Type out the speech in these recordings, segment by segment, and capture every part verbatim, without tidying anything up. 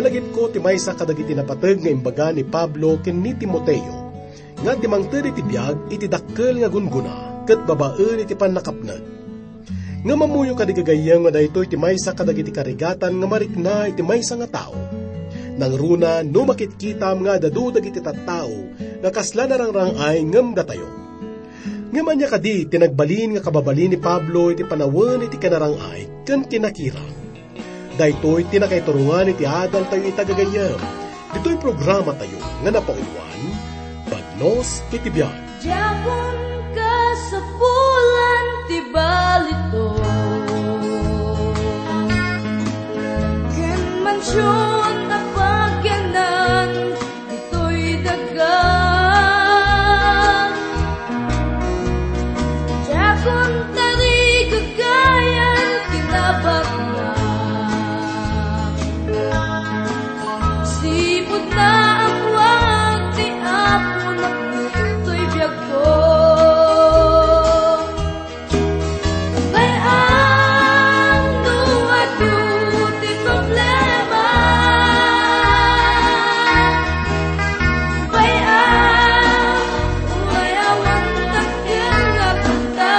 Lagipko ti maysa kadagiti napateg nga imbaga ni Pablo ken ni Timoteo, nga ti mangted iti biag iti dakkel nga gunggona ket babaen iti pannakapnek. Ngem ammoyo kadi, gagayyem, nga daytoy ti maysa kadagiti karigatan nga marikna iti maysa nga tao. Nangruna no makitkitam nga adda adu dagiti tattao nga kasla narang-rang-ay ngem datayo. Ngem ania kadi ti nagbalin nga kababalin ni Pablo iti panawen iti kinarang-ay ken kinakirang? Daytoy ti nakaiturongan iti adaltayo ita, gagayyem, ditoy programatayo nga napauluan, Bagnos iti Biag. Diakon kasapulan ti balito, ken mansion a pakiannan ditoy daga. Diakon tarigagayan ti nabakna. Sipud naammoak ti Apo napno toy biagko. Bay-am no adu ti problema. Bay-am, uray awan dakkel nga kuarta.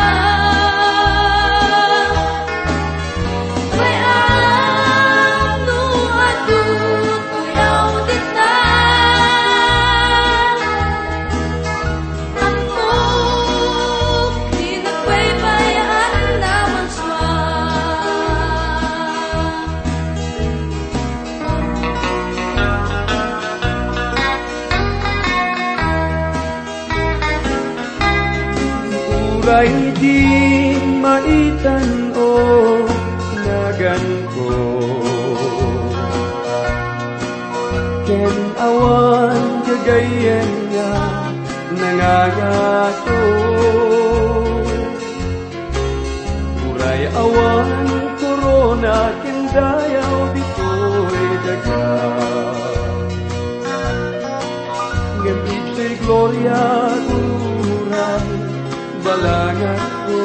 Bay-am no adu ti uyaw dita. Ammok ti nagbaybay-an a marsua. Uray di maitan-o naganko, ken awan gagayyem nga nangangato. Uray awan korona ken dayaw ditoy daga, ngem ditoy gloria uray balanganko.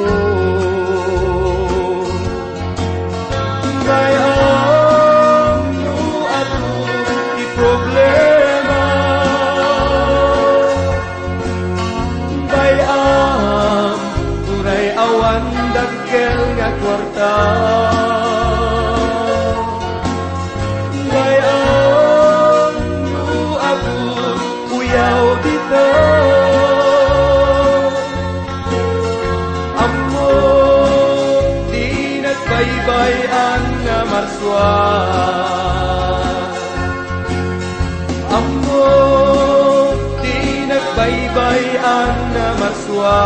Bay-am no adu ti problema. Bay-am, uray awan dakkel nga kuarta. Bay-am no adu ti uyaw dita. Ammok ti nagbaybay-an a marsua. Ammok ti nagbaybay-an a marsua.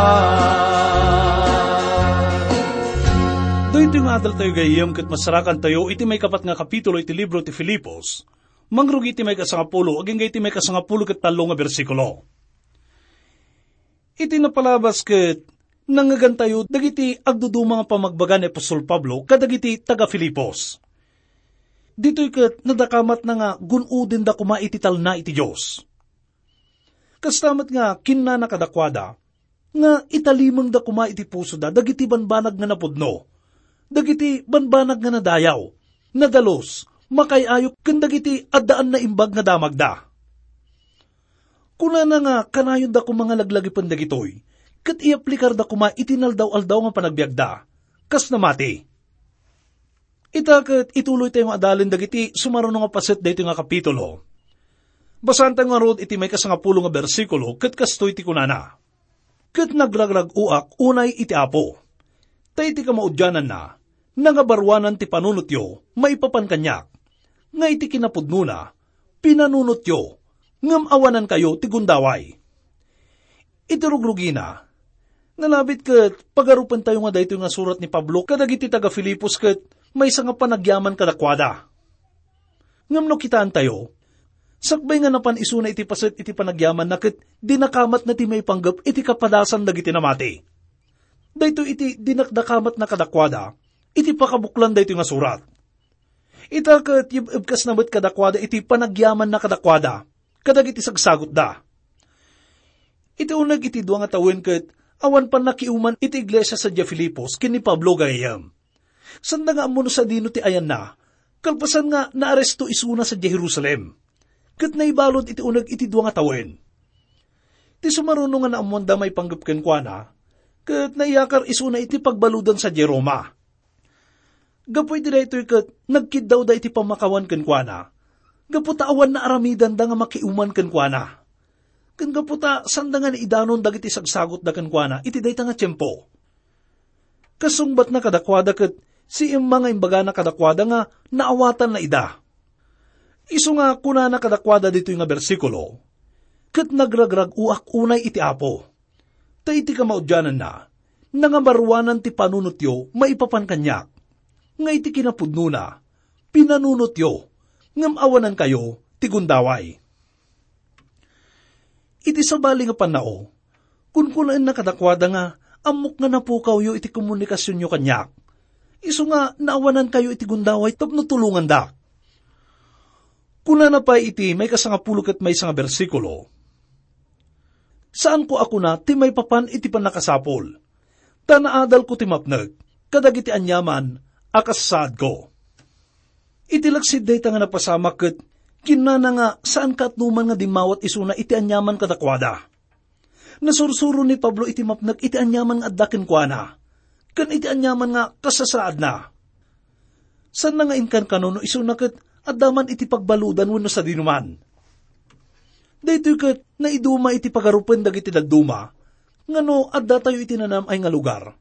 Daytoy nga adaltayo, gayyem, ket masarakantayo iti maikapat nga kapitulo iti libro ti Filipos, mangrugi iti maikasangapulo agingga iti maikasangapulo ket tallo nga bersikulo. Iti napalabas ket nangngegantayo dagiti agduduma nga pamagbaga ni apostol Pablo kadagiti taga-Filipos. Ditoy ket nadakamatna nga gun-odenda koma iti talna iti Dios. Kasta met nga kinnana kadakuada nga italimengda koma iti pusoda dagiti banbanag nga napudno, dagiti banbanag nga nadayaw, nadalus, makaay-ayo, ken dagiti addaan naimbag nga damagda. Kunana nga kanayonda koma nga laglagipen dagitoy, ket iyaplikarda koma iti naldaw-aldaw nga panagbiagda, kas namati. Ita ket ituloytayo nga adalen dagiti sumaruno nga paset daytoy nga kapitulo. Basaantayo ngarud iti maikasangapulo nga bersikulo, ket kastoy ti kunana, "Ket nagragrag-oak unay iti Apo, ta iti kamaudiananna, nangabaruanan ti panunotyo maipapan kaniak, nga iti kinapudnona, pinanunotyo, ngem awanankayo ti gundaway." Iti rugrugina, nalabit ket pagarupentayo nga daytoy nga surat ni Pablo kadagiti taga-Filipos ket maysa nga panagyaman kadakuada. Ngem no kitaentayo, sakbay nga napan isuna iti paset iti panagyamanna ket dinakamatna ti maipanggep iti kapadasan dagiti namati. Daytoy iti dinakdakamatna kadakuada iti pakabuklan daytoy nga surat. Ita ket yeb-ebkasna met kadakuada iti panagyamanna kadakuada kadagiti sagsagutda. Iti uneg iti dua nga tawen ket awan pannakiuman iti iglesia sadiay Filipos ken ni Pablo, gayyem. Sanda nga ammo no sadino ti ayanna, Kalpasan nga naaresto isuna sadiay Jerusalem, ket naibalud iti uneg iti dua nga tawen. Ti sumaruno nga naammoanda maipanggep kenkuana, ket naiyakar isuna iti pagbaludan sadiay Roma. Gapu iti daytoy ket nagkiddawda iti pammakawan kenkuana, gapu ta awan naaramidanda nga makiuman kenkuana. Ken gapu ta sanda nga naidanon dagiti sagsagutda kenkuana iti dayta nga tiempo. Kasungbatna kadakuada ket siimma nga imbagana kadakuada nga naawatanna ida. Isu nga kunana kadakuada ditoy nga bersikulo, "Ket nagragrag-oak unay iti Apo, ta iti kamaudiananna, nangamaruanan ti panunotyo maipapan kaniak, nga iti kinapudnona, pinanunotyo, ngem awanankayo ti gundaway." Iti sabali nga pannao, kunkunaenna kadakuada nga, "Ammok nga napukawyo iti komunikasionyo kaniak. Isu nga naawanankayo iti gundaway tapno tulongandak." Kunana pay iti maikasangapulo ket maysa nga bersikulo, "Saanko a kuna ti maipapan iti pannakasapul, ta naadalko ti mapnek kadagiti aniaman a kasasaadko." Iti laksid dayta nga napasamak ket kinnana nga saan kaatnoman nga dimmawat isuna iti aniaman kadakuada. Nasursuro ni Pablo iti mapnek iti aniaman nga adda kenkuana, ken iti aniaman nga kasasaadna. Saanna nga inkankano no isuna ket adda man iti pagbaludan wenno sadinoman. Daytoy ket naiduma iti pagarupen dagiti dadduma nga no addatayo iti nanam-ay nga lugar,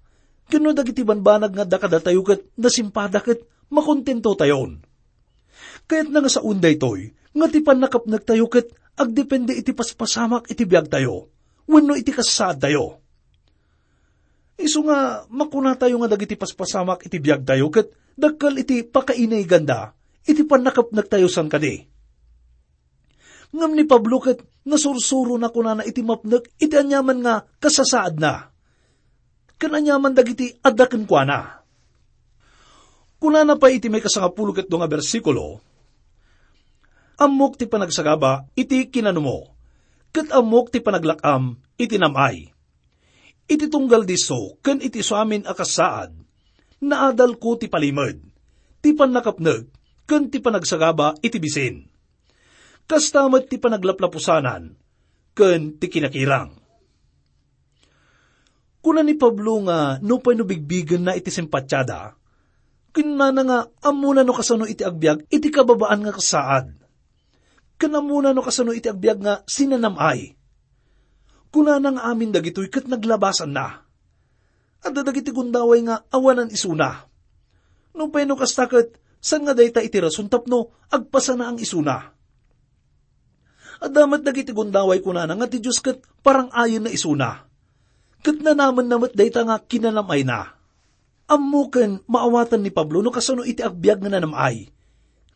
ken no dagiti banbanag nga adda kadatayo ket nasimpada ket makontentotayon. Kayatna nga saoen daytoy nga ti pannakapnektayo ket agdepende iti paspasamak iti biagtayo wenno iti kasasaadtayo. Isu nga makunatayo nga dagiti paspasamak iti biagtayo ket dakkel iti pakainiganda iti pannakapnektayo, saan kadi? Ngem ni Pablo ket nasursurona kunana iti mapnek iti aniaman nga kasasaadna ken aniaman dagiti adda kenkuana. Kunana pay iti maikasangapulo ket dua nga bersikulo, "Ammok ti panagsagaba iti kinanumo, ket ammok ti panaglak-am iti nam-ay. Iti tunggal disso ken iti isuamin a kasaad, naadalko ti palimed, ti pannakapnek, ken ti panagsagaba iti bisin. Kasta met ti panaglaplapusanan ken ti kinakirang." Kuna ni Pablo nga nupay no bigbigenna iti simpatiada, kinnana nga ammona no kasano iti agbiag iti kababaan nga kasaad. Ken ammona no kasano iti agbiag nga sinanam-ay. Kunana nga amin dagitoy ket naglabasanna. Adda dagiti gundaway nga awanan isuna. Nupay no kasta ket, saan nga dayta iti rason tapno agpasanaang isuna? Adda met dagiti gundaway kunana nga ti Dios ket parang-ayenna isuna. Ket nanamenna met dayta nga kinanam-ayna. Ammo ken maawatan ni Pablo no kasano iti agbiag nga nanam-ay.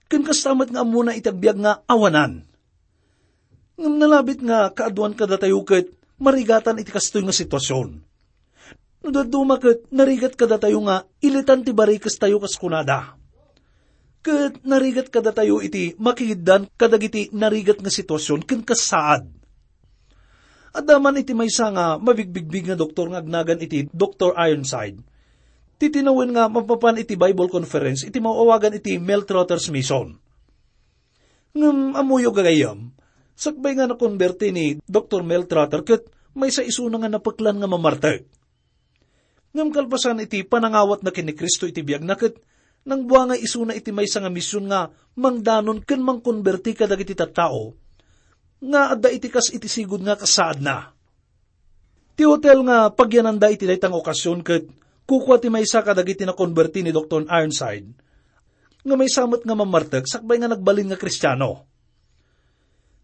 Ken kasta met nga ammona iti agbiag nga awanan. Ngem nalabit nga kaaduan kadatayo ket marigatan iti kastoy nga situasion. No dadduma ket narigat kadatayo nga ilitan ti barikestayo kas kunada. Ket narigat kadatayo iti makigiddan kadagiti narigat nga situasion ken kasaad. Adda man iti maysa nga mabigbigbig nga doktor nga agnagan iti Doktor Ironside. Ti tinawen nga mapapan iti Bible Conference iti maawagan iti Mel Trotter's Mission. Ngem ammoyo, gagayyem, sakbay nga nakonberti ni Doktor Mel Trotter ket maysa isuna nga napeklan nga mamartek. Ngem kalpasan iti panangawatna ken ni Cristo iti biagna ket nangbuangay isuna iti maysa nga mision nga mangdanon ken mangkonberti kadagiti tattao nga adda iti kas iti sigud nga kasaadna. Ti hotel nga pagyananda iti dayta nga okasion ket kukua ti maysa kadagiti nakonberti ni Doktor Ironside nga maysa met nga mamartek sakbay nga nagbalin nga Kristiano.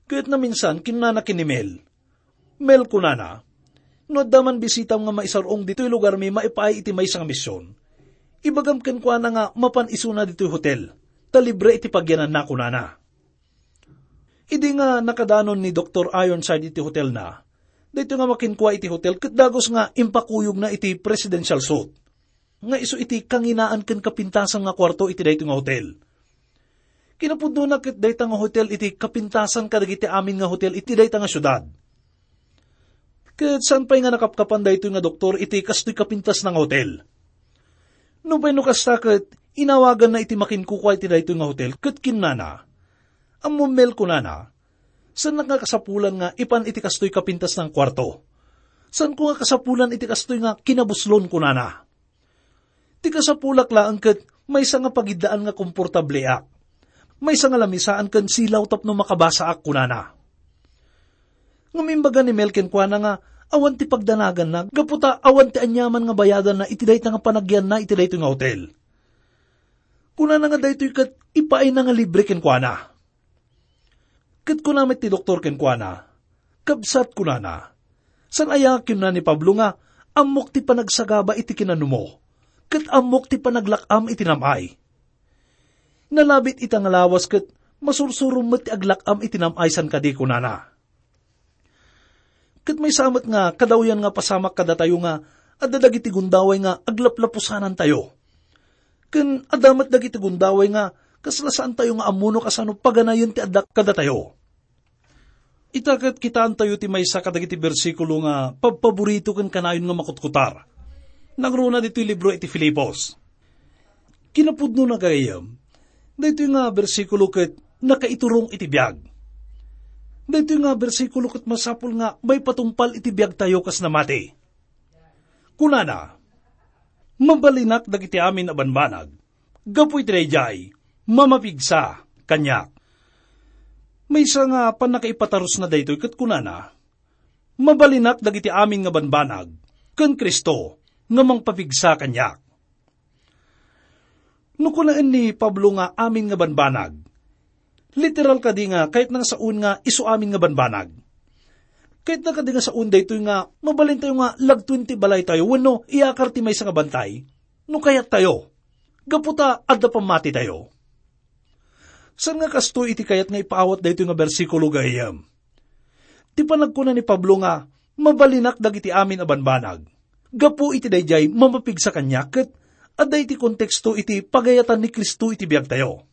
Ket naminsan, kinnana ken ni Mel, "Mel," kunana, "no adda man bisitam nga maisar-ong ditoy lugarmi maipaay iti maysa nga mision, ibagam kenkuana nga mapan isuna ditoy hotel, ta libre iti pagyananna," kunana. Idi nga nakadanon ni Doktor Ironside iti hotelna, daytoy nga makinkua iti hotel ket dagus nga impakuyogna iti presidential suite, nga isu iti kanginaan ken kapintasan nga kuarto iti daytoy nga hotel. Kinapudnona ket dayta nga hotel iti kapintasan kadagiti amin nga hotel iti dayta nga siudad. Ket saan pay nga nakapkapan daytoy nga doktor iti kastoy kapintasna nga hotel. Nupay no kasta ket Inawaganna iti makinkukua iti daytoy nga hotel ket kinunana, "Ammom, Mel," kunana, "saannak nga kasapulan nga ipan iti kastoy kapintas nga kuarto. Saanko nga kasapulan iti kastoy nga kinabuslon," kunana. "Ti kasapulak laeng ket maysa nga pagiddaan nga komportableak. Maysa nga lamisaan ken silaw tapno makabasaak," kunana. Ngem imbaga ni Mel kenkuana nga awan ti pagdanaganna gapu ta awan ti aniaman nga bayadanna iti dayta nga panagyanna iti daytoy nga hotel. Kunana nga daytoy ket ipaayna nga libre kenkuana. Ket kuna met ti doktor kenkuana, "Kabsat," kunana, "saan aya nga kinuna ni Pablo nga, 'Ammok ti panagsagaba iti kinanumo, ket ammok ti panaglak-am iti nam-ay'? Nalabit ita nga lawas ket masursurom met ti aglak-am iti nam-ay san kadi," kunana. Ket maysa met nga kadawyan nga pasamak kadatayo nga adda dagiti gundaway nga aglaplapusanantayo. Ken adda met dagiti gundaway nga kasla saantayo nga ammo no kasano paganayen ti adda kadatayo. Ita ket kitaentayo ti maysa kadagiti bersikulo nga pabpaborito ken kanayon nga makutkutar. Nangruna ditoy libro iti Filipos. Kinapudnona, gagayyem, daytoy nga bersikulo ket nakaiturong iti biag. Daytoy nga bersikulo ket masapul nga maipatungpal iti biagtayo kas namati. Kunana, "Mabalinak dagiti amin a banbanag, gapu iti daydiay, mamapigsa kaniak." Maysa nga pannakaipatarusna daytoy ket kunana, "Mabalinak dagiti amin nga banbanag ken Cristo nga mangpapigsa kaniak." No kunaen ni Pablo nga amin nga banbanag, literal kadi nga kayatna nga saon nga isu amin nga banbanag? Kayatna kadi nga saon daytoy nga mabalintayo nga lagtoen ti balaytayo wenno iyakar ti maysa nga bantay? No kayattayo, gapu ta adda pammatitayo. Saan nga kastoy iti kayat nga ipaawat daytoy nga bersikulo, gayyem? Ti panagkuna ni Pablo nga, "Mabalinak dagiti amin a banbanag," gapu iti daydiay mamapigsa kaniak ket adda iti konteksto iti pagayatan ni Cristo iti biagtayo.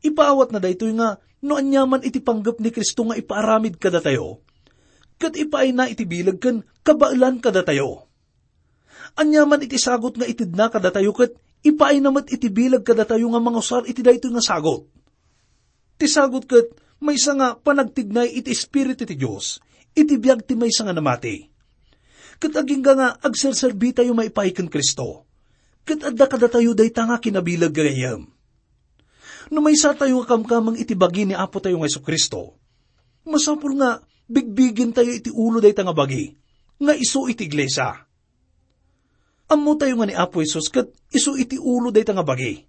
Ipaawatna daytoy nga no aniaman iti panggep ni Cristo nga ipaaramid kadatayo, ket ipaayna iti bileg ken kabaelan kadatayo. Aniaman iti sagut nga itedna kadatayo ket ipaayna met iti bileg kadatayo nga mangusar iti daytoy nga sagut. Ti sagut ket maysa nga panagtignay iti Espiritu ti Dios iti biag ti maysa nga namati. Ket agingga nga agserserbitayo maipaay ken Cristo, ket adda kadatayo dayta nga kinabileg, gagayyem. No maysatayo nga kamkameng iti bagi ni Apotayo nga Jesu-Cristo, masapul nga bigbigentayo iti ulo dayta nga bagi nga isu iti iglesia. Ammotayo nga ni Apo Jesus ket isu iti ulo dayta nga bagi.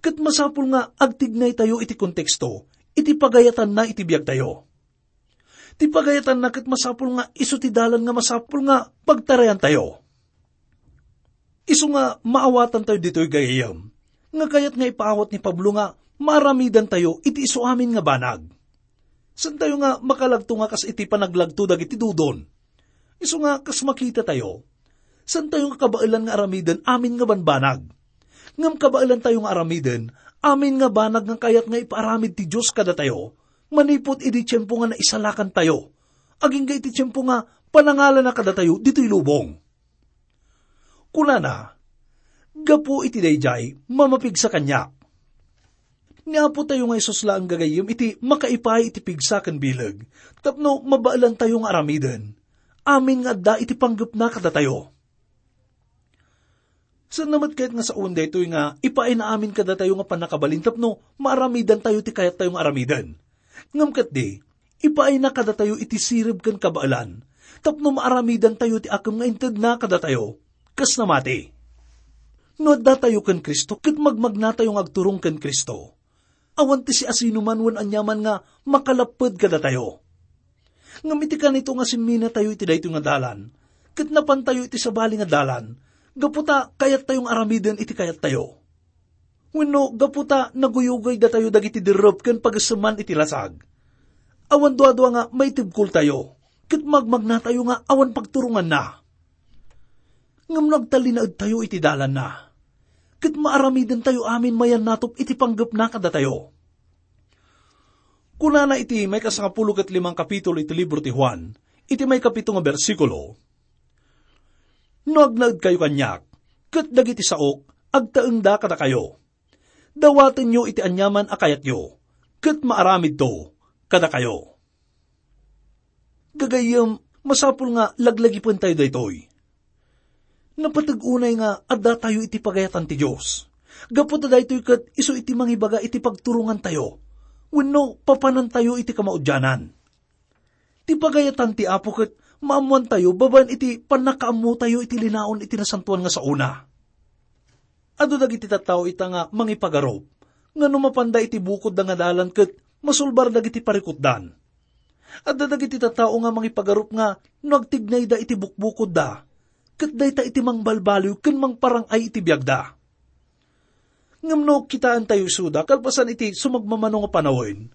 Ket masapul nga agtignaytayo iti konteksto iti pagayatanna iti biagtayo. Ti pagayatanna ket masapul nga isu ti dalan nga masapul nga pagtarayantayo. Isu nga maawatantayo ditoy, gayyem, nga kayat nga ipaawat ni Pablo nga maaramidantayo iti isu amin nga banag. Saantayo nga makalagto nga kas iti panaglagto dagiti dudon. Isu nga kas makitatayo, saantayo nga kabaelan nga aramiden amin nga banbanag. Ngem kabaelantayo nga aramiden amin nga banag nga kayat nga ipaaramid ti Dios kadatayo manipud idi tiempo nga naisalakantayo, agingga iti tiempo nga panangalana kadatayo ditoy lubong. Kunana, "Gapu iti daydiay, mamapigsa kaniak." Ni Apotayo nga Jesus laeng, gagayyem, iti makaipaay iti pigsa ken bileg tapno mabaelantayo nga aramiden amin nga adda iti panggepna kadatayo. Saanna met kayat nga saon daytoy nga ipaayna amin kadatayo nga pannakabalin tapno maaramidantayo ti kayattayo nga aramiden. Ngem ketdi, ipaayna kadatayo iti sirib ken kabaelan tapno maaramidantayo ti akem nga intedna kadatayo kas namati. No addatayo ken Cristo ket magmagnatayo nga agturong ken Cristo, awan ti siasinoman wen aniaman nga makalapped kadatayo. Ngem iti kanito nga simminatayo iti daytoy nga dalan, ket napantayo iti sabali nga dalan, gapu ta kayattayo nga aramiden iti kayattayo. Wenno gapu ta naguyugaydatayo dagiti derrep ken pagesseman iti lasag, awan duadua nga maitibkoltayo, ket magmagnatayo nga awan pagturonganna. Ngem no agtalinaedtayo iti dalanna, ket maaramidentayo amin mayannatop iti panggepna kadatayo. Kunana iti maikasangapulo ket limang kapitulo iti libro ti Juan, iti maikapito nga bersikulo, "No agnaedkayo kaniak, ket dagiti saok, agtaengda kadakayo. Dawatenyo iti aniaman a kayatyo, ket maaramidto kadakayo. Gagayyem, masapul nga laglagipentayo daytoy. Napateg unay nga addatayo iti pagayatan ti Dios. Gapu ta daytoy ket isu iti mangibaga iti pagturongantayo wenno papanantayo iti kamaudianan. Ti pagayatan ti Apo ket maammoantayo babaen iti pannakaammotayo iti linaon iti nasantoan nga saona. Adu dagiti tattao ita nga mangipagarup nga no mapanda iti bukodda nga dalan ket masulbar dagiti parikutdan. Adda dagiti tattao nga mangipagarup nga no agtignayda iti bukbukodda, ket dayta iti mangbalbaliw ken mangparang-ay iti biagda. Ngem no kitaentayo isuda kalpasan iti sumagmamano nga panawen,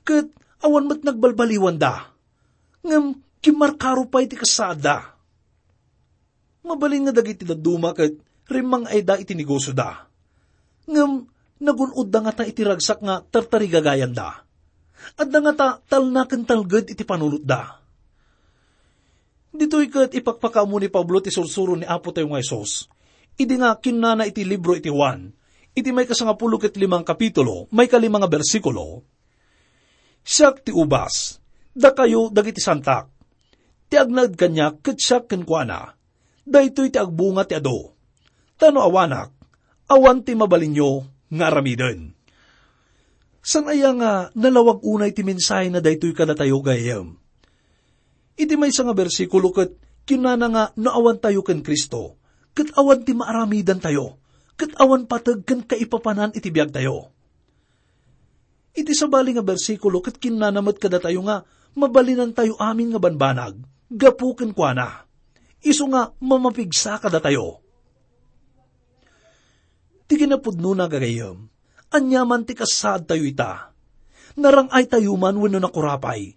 ket awan met nagbalbaliwanda, ngem kimmarkaro pay ti kasaadda. Mabalin nga dagiti dadduma ket rimmang-ayda iti negosioda. Ngem nagun-odda ngata iti ragsak nga tartarigagayanda. Adda ngata talna ken talged iti panunotda. Ditoy ket ipakpakaammo ni Pablo ti sursuro ni Apo tayo nga Jesus. Idi nga kinnana iti libro iti Juan, iti maikasangapulo ket limang kapitulo, maikalima nga bersikulo, "Siak ti ubas, dakayo dagiti santak. Ti agnaed kaniak ket siak kenkuana. Daytoy ti agbunga ti adu. Ta no awanak, awan ti mabalinyo nga aramiden." Saan aya nga nalawag unay ti mensahe na daytoy kadatayo, gayyem? Iti maysa nga bersikulo ket kinunana nga no awantayo ken Cristo, ket awan ti maaramidantayo, ket awan pateg ken kaipapanan iti biagtayo. Iti sabali nga bersikulo ket kinnana met kadatayo nga mabalinantayo amin nga banbanag gapu kenkuana, isu nga mamapigsa kadatayo. Ti kinapudnona, gagayyem, aniaman ti kasaadtayo ita. Narang-aytayo man wenno nakurapay.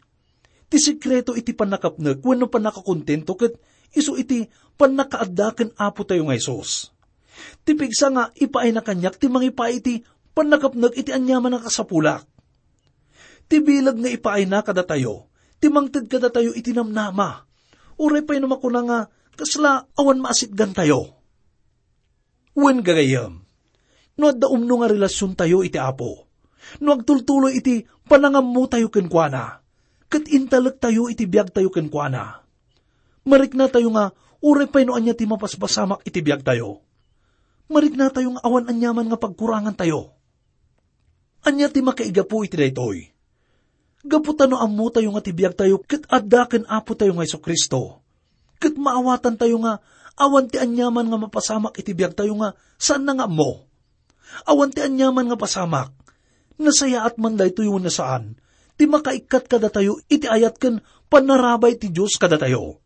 Ti sekreto iti pannakapnek wenno pannakakontento ket isu iti pannakaadda ken Apo tayo nga Jesus. Ti pigsa nga ipaayna kaniak ti mangipaay iti pannakapnek iti aniaman nga kasapulak. Ti bileg nga ipaayna kadatayo ti mangted kadatayo iti namnama, uray pay no makuna nga kasla awan maasitgantayo. Wen, gagayyem, no adda umno nga relasiontayo iti Apo, no agtultuloy iti panangammotayo kenkuana, ket intalektayo iti biagtayo kenkuana, mariknatayo nga uray pay no ania ti mapaspasamak iti biagtayo, mariknatayo nga awan aniaman nga pagkurangantayo. Ania ti makaigapu iti daytoy? Gapu ta no ammotayo nga ti biagtayo ket adda ken Apotayo nga Jesu-Cristo, ket maawatantayo nga awan ti aniaman nga mapasamak iti biagtayo nga saanna nga ammo. Awan ti aniaman nga pasamak, nasayaat man daytoy wenno saan, ti makaikkat kadatayo iti ayat ken pannarabay ti Dios kadatayo.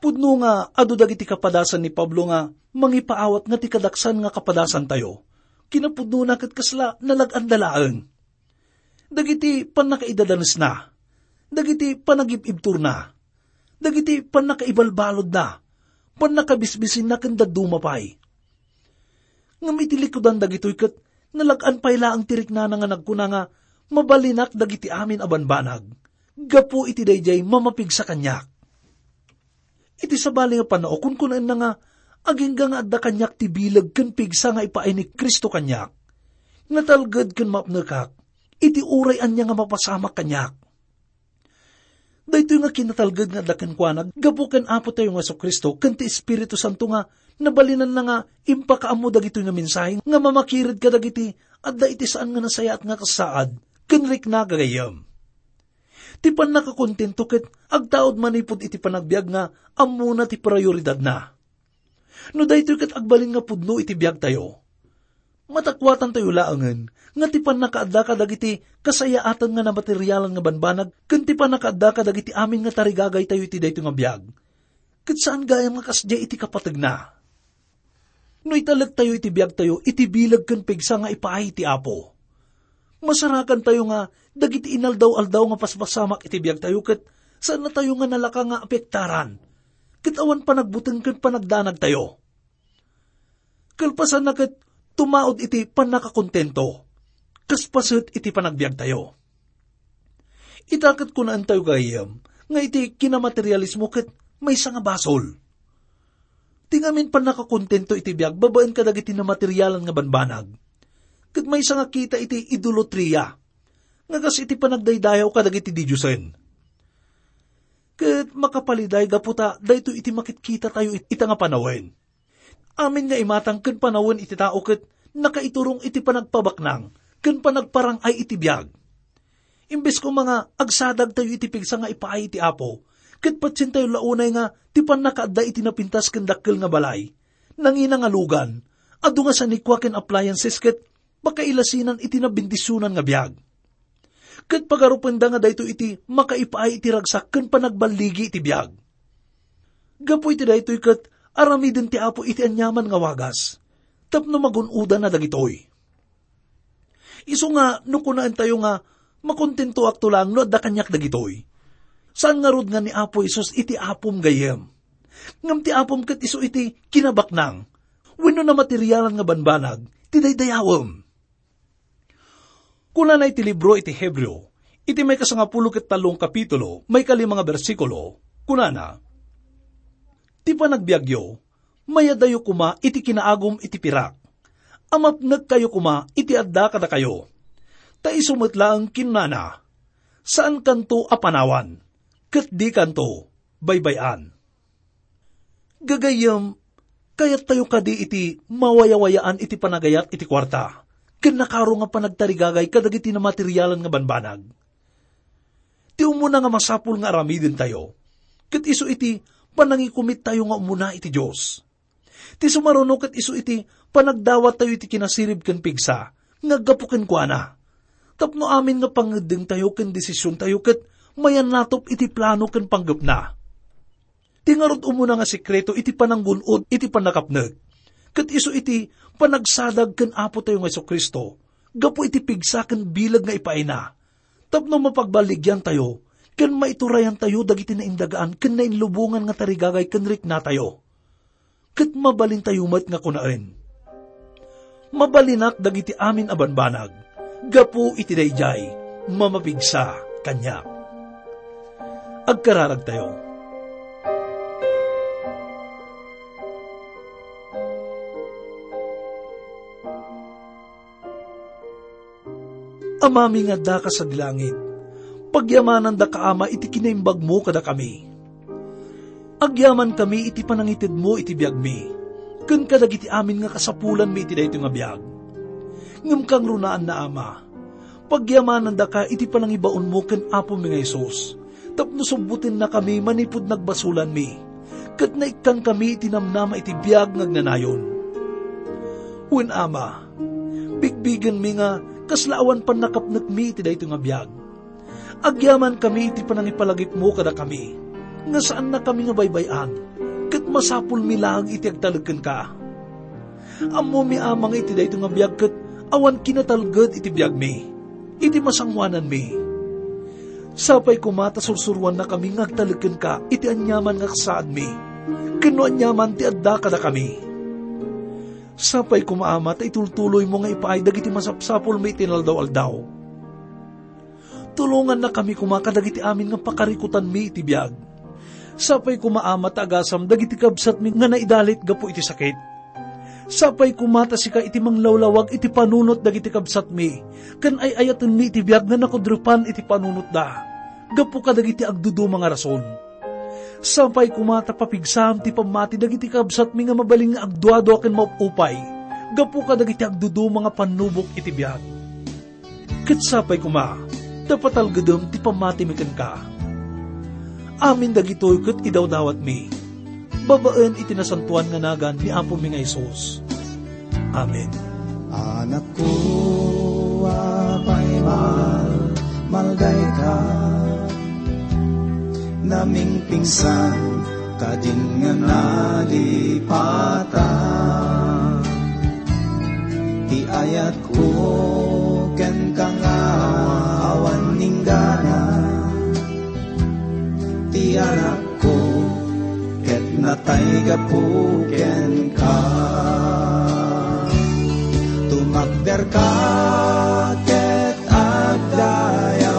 Pudno nga adu dagiti kapadasan ni Pablo nga mangipaawat nga ti kadaksan nga kapadasantayo. Kinapudnona ket kasla nalaganda laeng. Dagiti pannakaidadanesna, dagiti panagib-ibturna, dagiti pannakaibalbalodna, pannakabisbisinna ken dadduma pay. Ngem iti likudan dagitoy ket nalag-an pay laeng ti riknana nga nagkuna nga, "Mabalinak dagiti amin a banbanag gapu iti daydiay mamapigsa kaniak." Iti sabali nga pannao, kunkunaenna nga, "Agingga nga adda kaniak ti bileg ken pigsa nga ipaay ni Cristo kaniak, natalged ken mapnekak iti uray ania nga mapasamak kaniak." Daytoy nga kinatalged nga adda kenkuana gapu ken Apotayo nga Jesu-Cristo ken ti Espiritu Santo nga nabalinanna nga impakaammo dagitoy nga mensahe nga mamakired kadagiti adda iti saan nga nasayaat nga kasaad ken rikna, gagayyem. Ti pannakakontento ket agtaud manipud iti panagbiag nga ammona ti prioridadna. No daytoy ket agbalin nga pudno iti biagtayo, matakuatantayo laengen nga ti pannakaadda kadagiti kasayaatan nga namaterialan nga banbanag ken ti pannakaadda kadagiti amin nga tarigagaytayo iti daytoy nga biag, ket saan gayam nga kasdiay iti kapategna. No italektayo iti biagtayo iti bileg ken pigsa nga ipaay ti Apo, masarakantayo nga dagiti inaldaw-aldaw nga paspasamak iti biagtayo ket saannatayo nga nalaka nga apektaran ket awan panagbuteng ken panagdanagtayo. Kalpasanna ket tumaud iti pannakakontento, kas paset iti panagbiagtayo. Ita ket kunaentayo, gayyem, nga iti kinamaterialismo ket maysa nga basol. Ti ngamin pannakakontento iti biag babaen kadagiti namaterialan nga banbanag, ket maysa nga kita iti idolatria, nga kas iti panagdaydayaw kadagiti didiosen. Ket makapaliday gapu ta daytoy iti makitkita tayo it-, ita nga panawen. Amin nga imatang ken panawen iti tao ket nakaiturong iti panagpabaknang ken panagparang-ay iti biag. Imbes koma nga agsadag tayo iti pigsa nga ipaay iti Apo, ket patien tayo la unay nga ti pannakaadda iti napintas ken dakkel nga balay, nangina nga lugan, adu nga sanikua ken appliances ket pakailasinan iti nabendisionan nga biag. Ket pagarupenda nga daytoy iti makaipaay iti ragsak ken panagballigi iti biag. Gapu iti daytoy ket aramiden ti Apo iti aniaman nga wagas, tapno magun-odanna dagitoy. Isu nga no kunaentayo nga, "Makontentoakto laeng no adda kaniak dagitoy." Saan ngarud nga ni Apo Jesus iti apom gayyem. Ngem ti apom ket isu iti kinabaknang wenno namaterialan nga banbanag ti daydayawem. Kunana iti libro iti Hebreo, iti maikasangapulo ket tallo nga kapitulo, maikalima nga bersikulo, kunana, "Ti panagbiagyo, mayadayo koma iti kinaagum iti pirak. Amapnekkayo koma iti adda kadakayo." Ta isu met laeng kinunana, "Saankanto a panawan, ket dikanto baybay-an." Gagayyem, kayattayo kadi iti mawayawayaan iti panagayat iti kuarta, ken nakaro nga panagtarigagay kadagiti namaterialan nga banbanag? Ti umuna nga masapul nga aramidentayo, ket isu iti panangikumittayo nga umuna iti Dios. Ti sumaruno ket isu iti panagdawattayo iti kinasirib ken pigsa nga aggapu kenkuana, tapno amin nga pangngeddengtayo ken desisiontayo ket mayannatop iti plano ken panggepna. Ti ngarud umuna nga sekreto iti pananggun-od iti pannakapnek, ket isu iti panagsadag ken Apotayo nga Jesu-Cristo gapu iti pigsa ken bileg nga ipaayna, tapno mapagballigiantayo ken maiturayantayo dagiti naindagaan ken nainlubongan nga tarigagay ken riknatayo. Ket mabalintayo met nga kunaen, "Mabalinak dagiti amin a banbanag gapu iti daydiay mamapigsa kaniak." Agkararagtayo. Amami nga addaka sadi langit, pagyamanandaka, Ama, iti kinaimbagmo kadakami. Agyamankami iti panangitedmo iti biagmi, ken kadagiti amin nga kasapulanmi iti daytoy nga biag. Ngem kangrunaan na, Ama, pagyamanandaka iti panangibaonmo ken Apomi nga Jesus, tapno subbutennakami manipud nagbasolanmi, ket naikkankami iti namnama iti biag nga agnanayon. Wen, Ama, bigbigenmi nga kasla awan pannakapnekmi iti daytoy nga biag. Agyamankami iti panangipalagipmo kadakami, nga saannakami nga baybay-an, ket masapulmi laeng iti agtalek kenka. Ammomi, Ama, nga iti daytoy nga biag ket awan kinatalged iti biagmi, iti masangoananmi. Sapay koma ta sursuroannakami nga agtalek kenka iti aniaman nga kasaadmi, ken no aniaman ti adda kadakami. Sapay koma, Ama, ta itultuloymo nga ipaay dagiti masapsapulmi iti inaldaw-aldaw. Tulongannakami koma kadagiti amin nga pakarikutanmi iti biag. Sapay koma, Ama, ta agasam dagiti kabsatmi nga naidalit gapu iti sakit. Sapay koma ta sika iti manglawlawag iti panunot dagiti kabsatmi, ken ay-ayatenmi iti biag nga nakudrepan iti panunotda gapu kadagiti agduduma nga rason. Sapay koma ta papigsam ti pammati dagiti kabsatmi nga mabalin nga agduadua ken maupupay gapu kadagiti agduduma nga pannubok iti biag. Ket sapay koma ta patalgedem ti pammatimi kenka. Amin dagitoy ket idawdawatmi babaen iti nasantoan nga nagan ni Apomi nga Jesus. Amen. Anakko a paimal, maldayka. Namingpingsan kadin nga nalipatan. Ti ayatko kenka nga awan inggana. Ti anakko ket natay gapu kenka. Tumakderka ket agdayawka.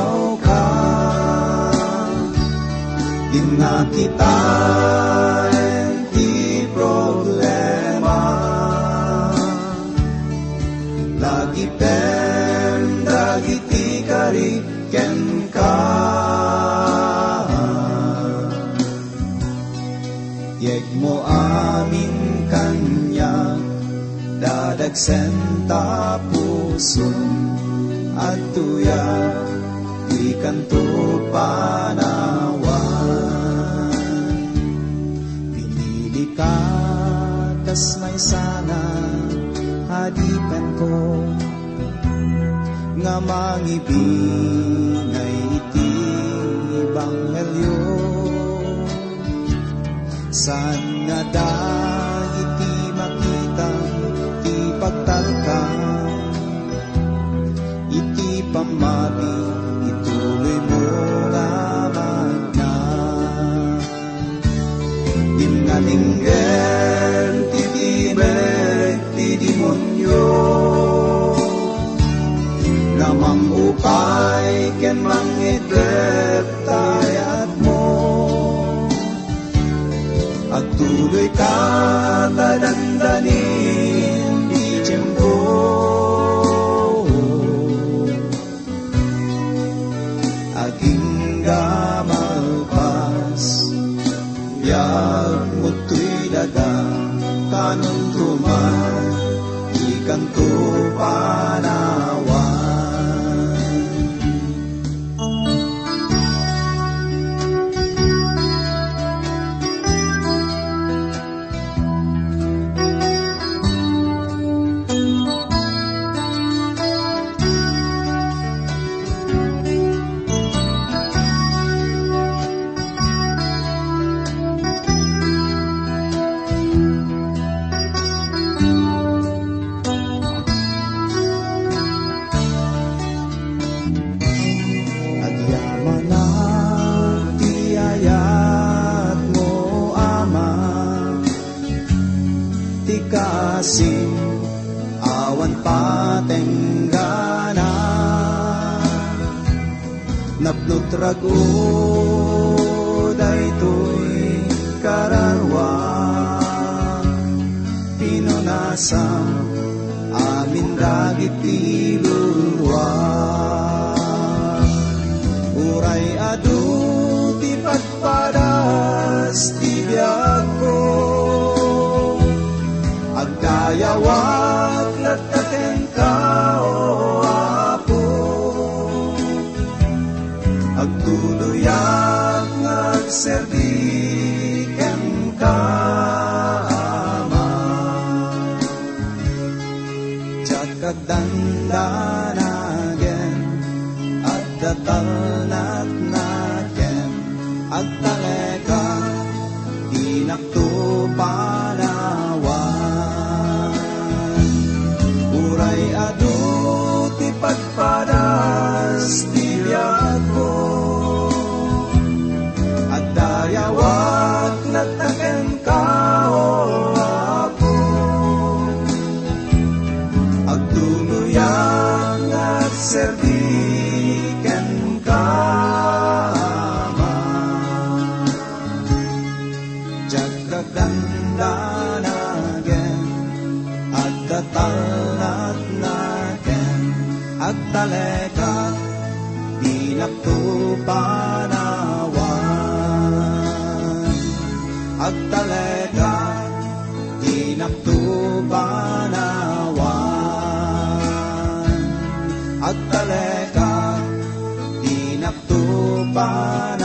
Dinnak kitaen ti problem Senta puson, adtoya ti kanto panawan. Pinili ka kas maysana a dipenko nga mangibingay iti ebanghelio. Saan nga dagiti makita ti pagtalka iti pammati, ituloy mo nga magna. Dimngatinggen ti timek ti demonio nga mangupay ken mangiddep ta ayatmo. Agtuloy ka ta dandanin ti tiempo. Agingga malpas, biag mo toy daga, kanon ruman, ikanto panawan. Agyamanak ti ayatmo, Ama, ti kasim awan patenggana. Napnot rago daytoy kararua, pinunasam amin dagiti lulua. Uray adu ti padpadas ti biagko, agdayawak latta kenka, O Apo. Agtuloyak nga agserbi kenka, Ama. Diak agdandanagen, adda talnatnaken, agtalekak, dinakto panawan. Uray adu ti padpadas ti biagko, agdayawak latta kenka, O Apo. Agtuloyak nga agserbi kenka, Ama. Diak agdandanagen, adda talnatnaken, agtalekak, dinakto panawan. Agtalekak, dinakto panawan. Agtalekak, dinakto panawan.